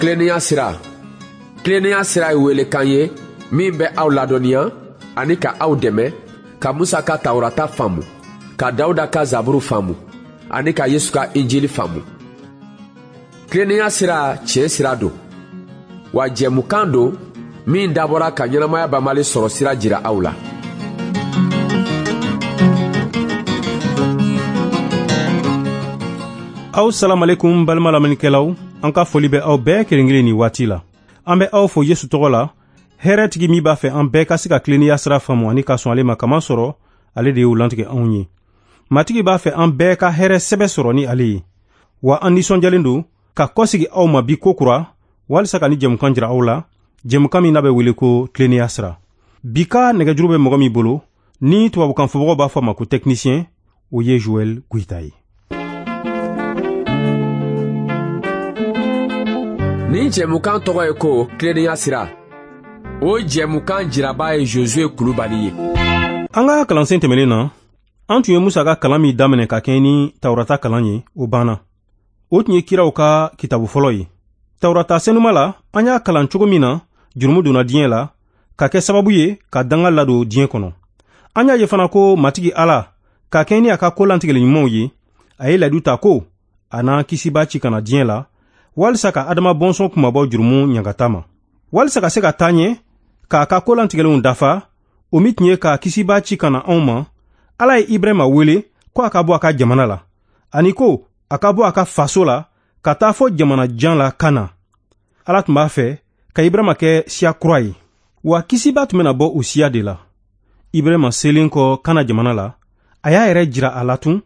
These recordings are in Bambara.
Tilennenya sira. Tilennenya sira ye welekan ye min bɛ aw ladɔnniya ani ka aw dɛmɛ ka Musa ka Tawurata faamu, ka Dawuda ka Zaburu faamu ani ka Yesu ka Injili faamu. Tilennenya sira tiɲɛ sira don, wa jɛmukan don min dabɔra ka ɲɛnamaya banbali sɔrɔ sira jira aw la. Aw salamalekum balima lamɛnnikɛlaw, an ka foli bɛ aw bɛɛ kelen kelen nin waati la. An bɛ aw fo Yesu tɔgɔ la, hɛrɛtigi min b'a fɛ an bɛɛ ka se ka tilennenya sira faamu ani ka sɔn ale ma, kamasɔrɔ ale de y'o lantigɛ anw ye. Matigi b'a fɛ an bɛɛ ka hɛrɛ sɛbɛ sɔrɔ ni ale ye. Wa an nisɔndiyalen don ka kɔsegi aw ma bi kokura walisa ka ni jɛmukan jira aw la, jɛmukan min n'a bɛ wele ko tilennenya sira. Bi ka nɛgɛjuru bɛ mɔgɔ min bolo, ni tubabukan fɔbagaw b'a fɔ a ma ko technicien, o ye Joël Goïta ye. Nin jɛmukan tɔgɔ ye ko tilennenya sira. O jɛmukan jiraba ye Josué Kulubali ye. An ka kalansen tɛmɛnen na, an tun ye Musa ka kalan min daminɛ ka kɛɲɛ ni Tawurata kalan ye, o banna. O tun ye kiraw ka kitabu fɔlɔ ye. Tawurata senuma la, an y'a kalan cogo min na, jurumu donna diɲɛ la, ka kɛ sababu ye ka danga ladon diɲɛ kɔnɔ. An y'a ye fana ko Matigi Ala, ka kɛɲɛ ni a ka ko lantigɛli ɲumanw ye, a ye layidu ta ko a n'an kisiba ci ka na diɲɛ la, walisa ka Adama bɔnsɔn kunmabɔ jurumu ɲangata ma. Walisa ka se ka taa ɲɛ, k'a ka ko lantigɛlenw dafa, o min tun ye ka kisiba ci ka na anw ma, Ala ye Ibrahima wele ko a ka bɔ a ka jamana la, ani ko a ka bɔ a ka faso la ka taa fɔ jamana jan la Kana. Ala tun b'a fɛ ka Ibrahima kɛ siya kura ye, wa kisiba tun bɛna bɔ o siya de la. Ibrahima selen kɔ Kana jamana la, a y'a yɛrɛ jira a la tun,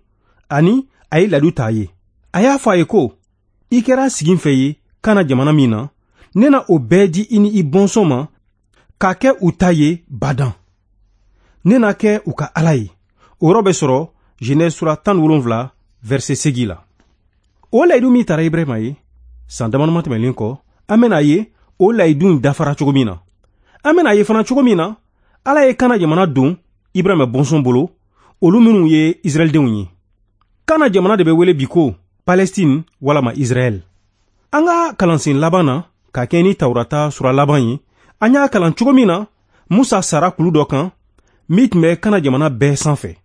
ani a ye layidu ta a ye. A y'a fɔ a ye ko, i kɛra siginfɛ ye Kana jamana min na, ne na o bɛɛ di i ni i bɔnsɔn ma k'a kɛ u ta ye badan. Ne na kɛ u ka Ala ye. O yɔrɔ bɛ sɔrɔ Genèse sura 17 verset 8 la. O layidu min tara Ibrahima ye, san damadama tɛmɛnen kɔ, an bɛna ye o layidu in dafara cogo min na. An bɛna ye fana cogo min na, Ala ye Kana jamana don Ibrahima bɔnsɔn bolo, olu minnu ye Israɛldenw ye. Kana jamana de bɛ wele bi ko Palestine walama Israɛl. An ka kalansen laban na, ka kɛ ni Tawurata sura laban ye, an y'a kalan cogo min na, Musa sara kulu dɔ kan min tun bɛ Kana jamana bɛɛ sanfɛ.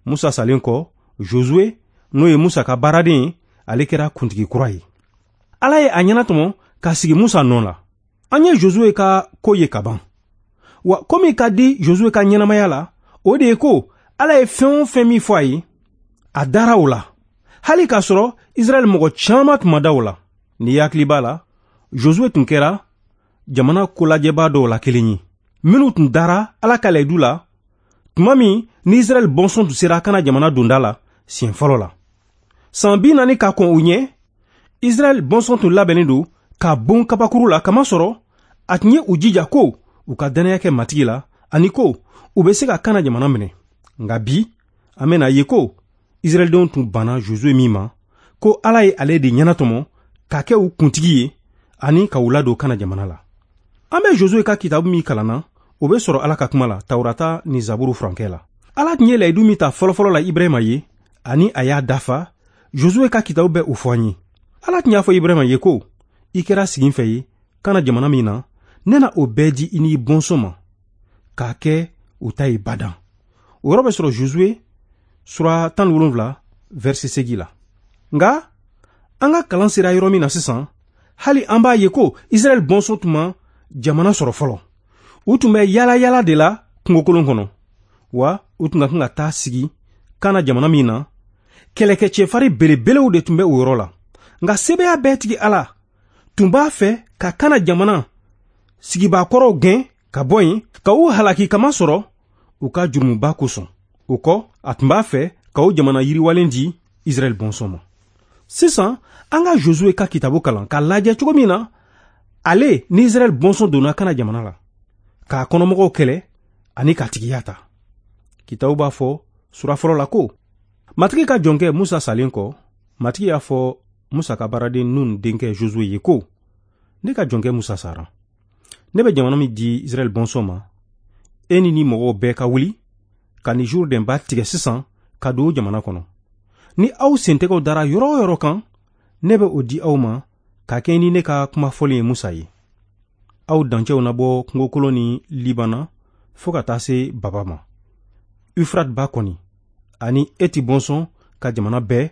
Musa salen kɔ, Josué, n'o ye Musa ka baaraden ye, ale kɛra kuntigi kura ye. Ala ye a ɲɛnatɔmɔ ka sigi Musa nɔ la. An ye Josué ka ko ye ka ban. Wa ko min ka di Josué ka ɲɛnamaya la, o de ye ko Ala ye fɛn o fɛn min fɔ a ye, a dara o la. Hali k'a sɔrɔ Israɛl mɔgɔ caman tun ma da o la. N'i hakili b'a la, Josué tun kɛra jamana kolajɛbaa dɔw la kelen ye, minnu tun dara Ala ka layidu la tuma min ni Israɛl bɔnsɔn tun sera Kana jamana donda la siɲɛ fɔlɔ la. San 40 ka kɔn o ɲɛ, Israɛl bɔnsɔn tun labɛnnen don ka bon kabakuru la, kamasɔrɔ a tun ye u jija ko u ka dannaya kɛ Matigi la ani ko u bɛ se ka Kana jamana minɛ. Nka bi, an bɛna ye ko Israɛldenw tun banna Josué min ma, ko Ala ye ale de ɲɛnatɔmɔ ka kɛ u kuntigi ye ani ka u ladon Kana jamana la. An bɛ Josué ka kitabu min kalanna, o bɛ sɔrɔ Ala ka kuma la, Tawurata ni Zaburu furankɛ la. Ala tun ye layidu min ta fɔlɔfɔlɔ la Ibrahima ye, ani a y'a dafa, Josué ka kitabu bɛ o fɔ an ye. Ala tun y'a fɔ Ibrahima ye ko, i kɛra siginfɛ ye Kana jamana min na, ne na o bɛɛ di i ni i bɔnsɔn ma, k'a kɛ u ta ye badan. O yɔrɔ bɛ sɔrɔ Josué sura 17 verset 8 la. Nka an ka kalan sera yɔrɔ min na sisan, hali an b'a ye ko Israɛl bɔnsɔn tun ma jamana sɔrɔ fɔlɔ. U tun bɛ yala yala de la kungokolon kɔnɔ, wa u tun ka kan ka taa sigi Kana jamana min na, kɛlɛkɛcɛfari belebelew de tun bɛ o yɔrɔ la. Nka sebaaya bɛɛ tigi Ala tun b'a fɛ ka Kana jamana sigibaakɔrɔw gɛn ka bɔ yen, ka u halaki kamasɔrɔ u ka jurumuba kosɔn. O kɔ, a tun b'a fɛ ka o jamana yiriwalen di Israɛl bɔnsɔn ma. Sisan, an ka Josué ka kitabu kalan k'a lajɛ cogo min na ale ni Israɛl bɔnsɔn donna Kana jamana la, k'a kɔnɔmɔgɔw kɛlɛ ani k'a tigiya ta. Kitabu b'a fɔ sura fɔlɔ la ko, Matigi ka jɔnkɛ Musa salen kɔ, Matigi y'a fɔ Musa ka baaraden Nun denkɛ Josué ye ko, ne ka jɔnkɛ Musa sara. Ne bɛ jamana min di Israɛl bɔnsɔn ma, e ni ni mɔgɔw bɛɛ ka wuli ka ni Jourdain ba tigɛ sisan ka don o jamana kɔnɔ. Ni aw sentɛgɛw dara yɔrɔ o yɔrɔ kan, ne bɛ o di aw ma ka kɛɲɛ ni ne ka kuma fɔlen ye Musa ye. Aw dancɛw na bɔ kungokolon ni Libana fo ka taa se Baba ma. Ufrat ba kɔni ani Eti bɔnsɔn ka jamana bɛɛ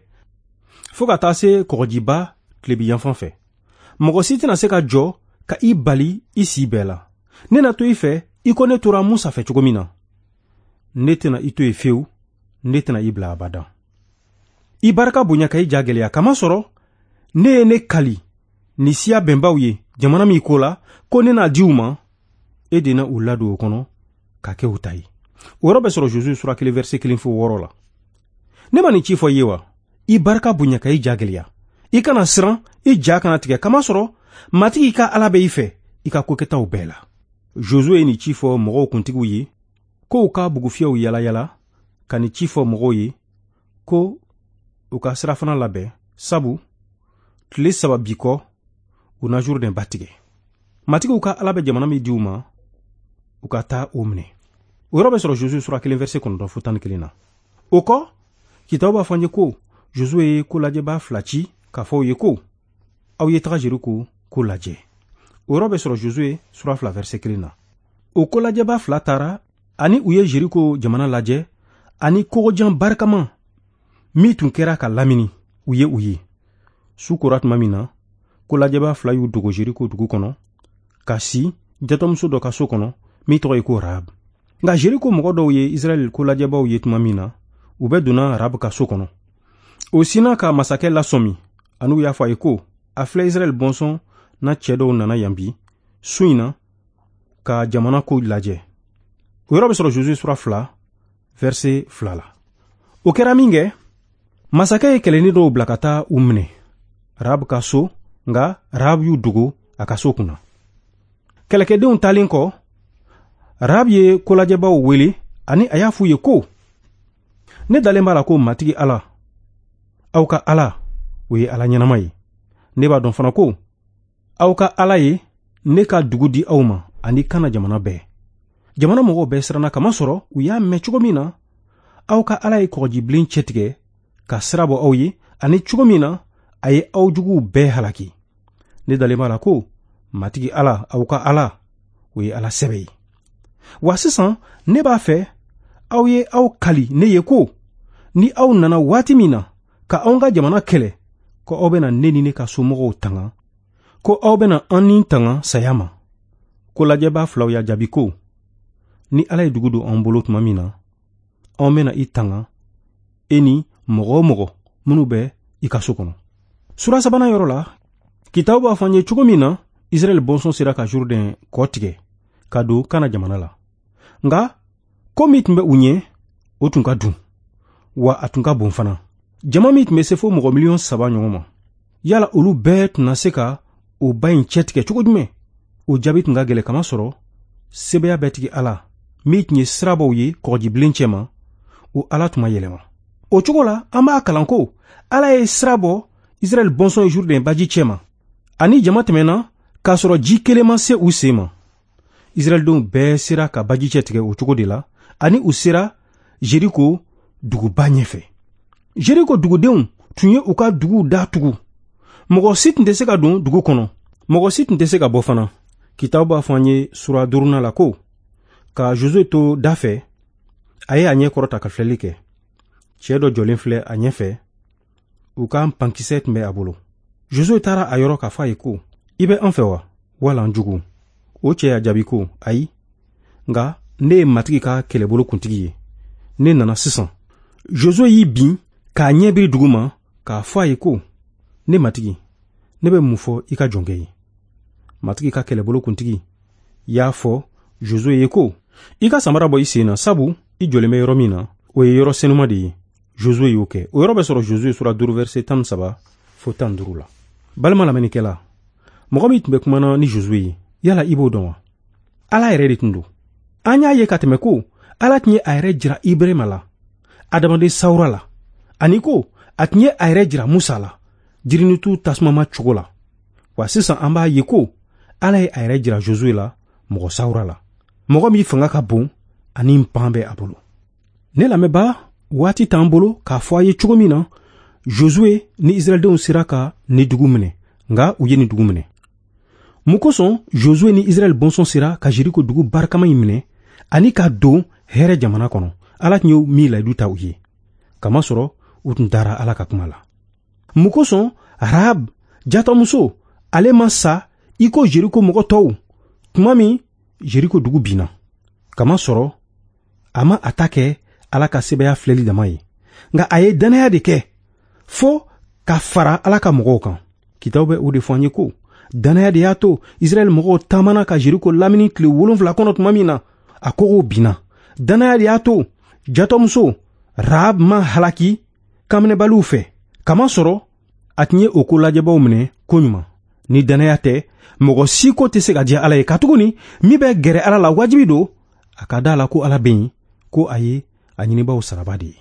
fo ka taa se kɔgɔjiba tilebi yanfan fɛ. Mɔgɔ si tɛna se ka jɔ ka i bali i si bɛɛ la. Ne na to i fɛ i ko ne tora Musa fɛ cogo min na. Ne tɛna i to yen fewu, ne tɛna i bila abada. I barika bonya ka i ja gɛlɛya, kamasɔrɔ ne ye ne kali ni siya bɛnbaw ye jamana min ko la ko ne n'a di u ma, e de na u ladon o kɔnɔ ka kɛ u ta ye. O yɔrɔ bɛ sɔrɔ Josué sura 1 verset 1 fo 6 la. Ne ma nin ci fɔ i ye wa? I barika bonya ka i ja gɛlɛya. I kana siran, i ja kana tigɛ, kamasɔrɔ Matigi ka Ala bɛ i fɛ i ka kokɛtaw bɛɛ la. Josué ye nin ci fɔ mɔgɔw kuntigiw ye ko u ka bugufiyɛw yalayala ka nin ci fɔ mɔgɔw ye ko u ka sirafana labɛn, sabu tile 3 bi kɔ u na Jourdain ba tigɛ. Matigiw ka Ala bɛ jamana min di u ma, u ka taa o minɛ. O yɔrɔ bɛ sɔrɔ Josué sura 1 verset 9 fo 11 na. O kɔ, kitabu b'a fɔ an ye ko Josué ye kolajɛbaa 2 ci k'a fɔ u ye ko aw ye taga Jeriko ko lajɛ. O yɔrɔ bɛ sɔrɔ Josué sura 2 verset 1 na. O kolajɛbaa 2 taara ani u ye Jeriko jamana lajɛ ani kogojan barikama min tun kɛra ka lamini, u ye u ye. Su kora tuma min na, kolajɛbaa 2 y'u dogo Jeriko dugu kɔnɔ ka si jatɔmuso dɔ ka so kɔnɔ min tɔgɔ ye ko Rahab. Nka Jeriko mɔgɔ dɔw ye Israɛl kolajɛbaw ye tuma min na, u bɛɛ donna Rahab ka so kɔnɔ. O sinna ka masakɛ lasɔmi ani u y'a fɔ a ye ko a filɛ Israɛl bɔnsɔn na cɛ dɔw nana yan bi su in na ka jamana ko lajɛ. O yɔrɔ bɛ sɔrɔ Josué sura 2 verset 2 la. O kɛra min kɛ, masakɛ ye kɛlɛnin dɔw bila ka taa u minɛ Rahab ka so, nka Rahab y'u dogo a ka so kunna. Kɛlɛkɛdenw taalen kɔ, Rahab ye kolajɛbaw wele ani a y'a f'u ye ko ne dalen b'a la ko Matigi Ala, aw ka Ala, o ye Ala ɲɛnama ye. Ne b'a dɔn fana ko aw ka Ala ye ne ka dugu di aw ma ani Kana jamana bɛɛ. Jamana mɔgɔw bɛɛ siranna kamasɔrɔ u y'a mɛn cogo min na aw ka Ala ye kɔgɔjibilen cɛtigɛ ka sira bɔ aw ye ani cogo min na a ye aw juguw bɛɛ halaki. Ne dalen b'a la ko Matigi Ala, aw ka Ala, o ye Ala sɛbɛ ye. Wa sisan ne b'a fɛ aw ye aw kali ne ye ko ni aw nana waati min na ka anw ka jamana kɛlɛ, ko aw bɛna ne ni ne ka somɔgɔw tanga, ko aw bɛna an ni tanga saya ma. Ko lajɛbaa 2 y'a jaabi ko ni Ala ye dugu don an bolo tuma min na, anw bɛna i tanga, e ni mɔgɔ o mɔgɔ minnu bɛ i ka so kɔnɔ. Sura 3nan yɔrɔ la, kitabu b'a fɔ an ye cogo min na Israɛl bɔnsɔn sera ka Jourdain kɔ tigɛ ka don Kana jamana la. Nka ko min tun bɛ u ɲɛ, o tun ka dun, wa a tun ka bon fana. Jama min tun bɛ se fo mɔgɔ 3 miliyɔn ɲɔgɔn ma, yala olu bɛɛ tun na se ka o ba in cɛtigɛ cogo jumɛn? O jaabi tun ka gɛlɛn, kamasɔrɔ sebaaya bɛɛ tigi Ala min tun ye sirabaw ye kɔgɔjibilen cɛma, o Ala tun ma yɛlɛma. O cogo la, an b'a kalan ko Ala ye sira bɔ Israɛl bɔnsɔn ye Jourdain baji cɛma, ani jama tɛmɛna k'a sɔrɔ ji kelen ma se u sen ma. Israɛldenw bɛɛ sera ka baji cɛ tigɛ o cogo de la, ani u sera Jeriko duguba ɲɛfɛ. Jeriko dugudenw tun ye u ka duguw da tugu. Mɔgɔ si tun tɛ se ka don dugu kɔnɔ, mɔgɔ si tun tɛ se ka bɔ fana. Kitabu b'a fɔ an ye sura 5nan la ko ka Josué to da fɛ, a ye a ɲɛ kɔrɔta ka filɛli kɛ. Cɛ dɔ jɔlen filɛ a ɲɛfɛ, u ka pankisɛ tun bɛ a bolo. Josué taara a yɔrɔ k'a fɔ a ye ko i bɛ an fɛ wa, wala an jugu? O cɛ y'a jaabi ko ayi, nka ne ye Matigi ka kɛlɛbolo kuntigi ye, ne nana sisan. Josué y'i bin k'a ɲɛ biri dugu ma k'a fɔ a ye ko ne Matigi, ne bɛ mun fɔ i ka jɔnkɛ ye? Matigi ka kɛlɛbolo kuntigi y'a fɔ Josué ye ko i ka samara bɔ i sen na, sabu i jɔlen bɛ yɔrɔ min na, o ye yɔrɔ senuma de ye. Josué y'o kɛ. O yɔrɔ bɛ sɔrɔ Josué sura 5 verset 13 fo 15 la. Balima lamɛnnikɛla, mɔgɔ min tun bɛ kumana ni Josué ye, yala i b'o dɔn wa? Ala yɛrɛ de tun don. An y'a ye ka tɛmɛ ko Ala tun ye a yɛrɛ jira Ibrahima la, adamaden sawura la, ani ko a tun ye a yɛrɛ jira Musa la, jirinitu tasumama cogo la. Wa sisan an b'a ye ko Ala ye a yɛrɛ jira Josué la, mɔgɔ sawura la, mɔgɔ min fanga ka bon ani npan bɛ a bolo. Ne lamɛnbaa, waati t'an bolo k'a fɔ a ye cogo min na Josué ni Israɛldenw sera ka ni dugu minɛ, Nka u ye nin dugu minɛ. Mun kosɔn Josue ni Israɛl bɔnsɔn sera ka Jeriko dugu barikama in minɛ ani ka don hɛrɛ jamana kɔnɔ, Ala tun ye min layidu ta u ye? Kamasɔrɔ u tun dara Ala ka kuma la. Mun kosɔn Rahab jatɔmuso ale ma sa i ko Jeriko mɔgɔ tɔw tuma min Jeriko dugu binna? Kamasɔrɔ a ma a ta kɛ Ala ka sebaaya filɛli dama ye, nka a ye dannaya de kɛ fo ka fara Ala ka mɔgɔw kan. Kitabu bɛ o de fɔ an ye ko dannaya de y'a to Israɛl mɔgɔw taamana ka Jeriko lamini tile 7 kɔnɔ tuma min na, a kogow binna. Dannaya de y'a to jatɔmuso Rahab ma halaki kanminɛbaliw fɛ, kamasɔrɔ a tun ye o ko lajɛbaw minɛ koɲuman. Ni dannaya tɛ, mɔgɔ si ko tɛ se ka diya Ala ye, katuguni min bɛ gɛrɛ Ala la wajibi don a ka da la ko Ala bɛ yen, ko a ye a ɲinibaw saraba de ye.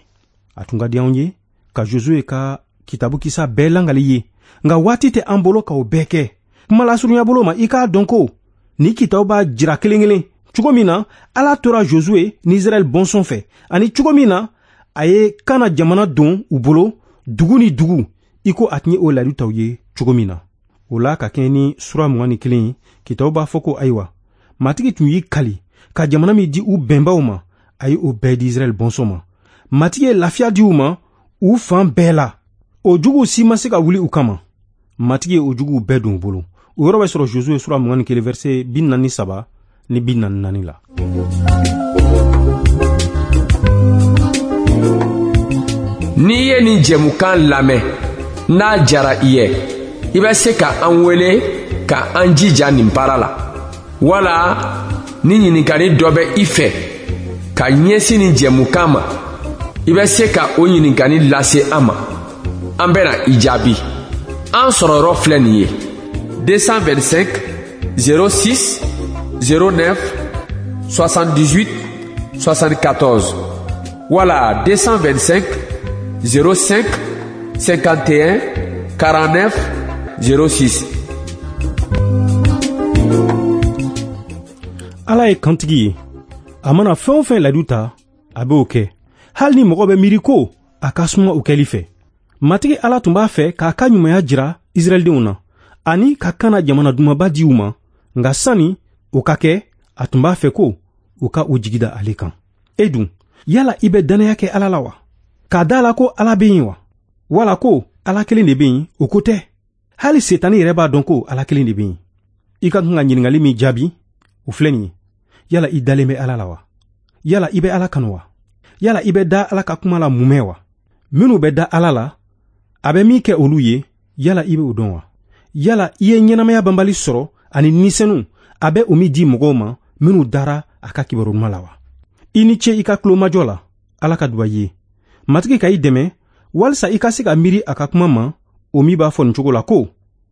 A tun ka di anw ye ka Josue ka kitabu kisa bɛɛ langali ye, nka waati tɛ an bolo k'o bɛɛ kɛ. Kuma lasurunya bolo ma, i k'a dɔn ko ni kitabu b'a jira kelen kelen cogo min na Ala tora Josue ni Israɛl bɔnsɔn fɛ, ani cogo min na a ye Kana jamana don u bolo dugu ni dugu, i ko a tun ye o layidu ta u ye cogo min na. O la, ka kɛɲɛ ni sura 21 ye, kitabu b'a fɔ ko ayiwa, Matigi tun y'i kali ka jamana min di u bɛnbaw ma, a ye o bɛɛ di Israɛl bɔnsɔn ma. Matigi ye lafiya di u ma u fan bɛɛ la. O juguw si ma se ka wuli u kama. Matigi ye o juguw bɛɛ don u bolo. O yɔrɔ bɛ sɔrɔ Josue sura 21 verset 43 ni 44 la. N'i ye nin jɛmukan lamɛn, n'a jara i ye, i bɛ se ka an wele ka an jija nin baara la, wala ni ɲininkali dɔ bɛ i fɛ ka ɲɛsin nin jɛmukan ma, i bɛ se ka o ɲininkali lase an ma, an bɛna i jaabi. An sɔrɔ yɔrɔ filɛ nin ye: 225 06 09 78 74 wala 225 05 51 49 06. Ala ye kantigi ye. A mana fɛn o fɛn layidu ta, a b'o kɛ, hali ni mɔgɔ bɛ miiri ko a ka suma o kɛli fɛ. Matigi Ala tun b'a fɛ k'a ka ɲumanya jira Israɛldenw na ani ka Kana jamana dumanba di u ma, nka sani o ka kɛ, a tun b'a fɛ ko u ka u jigi da ale kan. E dun, yala i bɛ dannaya kɛ Ala la wa? K'a da la ko Ala bɛ yen wa? Wala ko Ala kelen de bɛ yen, o ko tɛ. Hali Setani yɛrɛ b'a dɔn ko Ala kelen de bɛ yen. I ka kan ka ɲininkali min jaabi, o filɛ nin ye: yala i dalen bɛ Ala la wa? Yala i bɛ Ala kanu wa? Yala i bɛ da Ala ka kuma la mumɛ wa? Minnu bɛ da Ala la, a bɛ min kɛ olu ye, yala i bɛ o dɔn wa? Yala i ye ɲɛnamaya banbali sɔrɔ ani nisɛnu a bɛ o min di mɔgɔw ma minnu dara a ka kibaru ɲuman la wa? I ni ce i ka tulomajɔ la. Ala ka duba i ye. Matigi ka i dɛmɛ walisa i ka se ka miiri a ka kuma ma, o min b'a fɔ nin cogo la ko: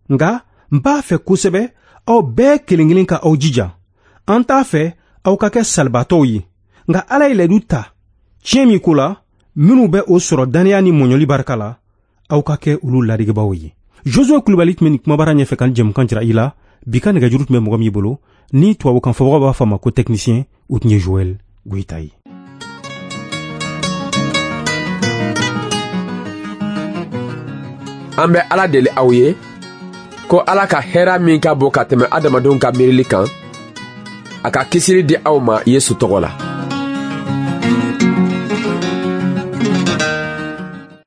nka n b'a fɛ kosɛbɛ aw bɛɛ kelen kelen ka aw jija. An t'a fɛ aw ka kɛ salibaatɔw ye, nka Ala ye layidu ta tiɲɛ min ko la, minnu bɛ o sɔrɔ dannaya ni mɔɲɔli barika la, aw ka kɛ olu ladegebaaw ye. Josue Kulibali tun bɛ nin kumabara ɲɛfɛ ka jɛmukan jira i la. Bi ka nɛgɛjuru tun bɛ mɔgɔ min bolo, ni tubabukan fɔbagaw b'a fɔ a ma ko technicien, o tun ye Joël Goyita ye. An bɛ Ala deli aw ye ko Ala ka hɛrɛ min ka bon ka tɛmɛ adamadenw ka miirili kan, a ka kisili di aw ma Yesu tɔgɔ la.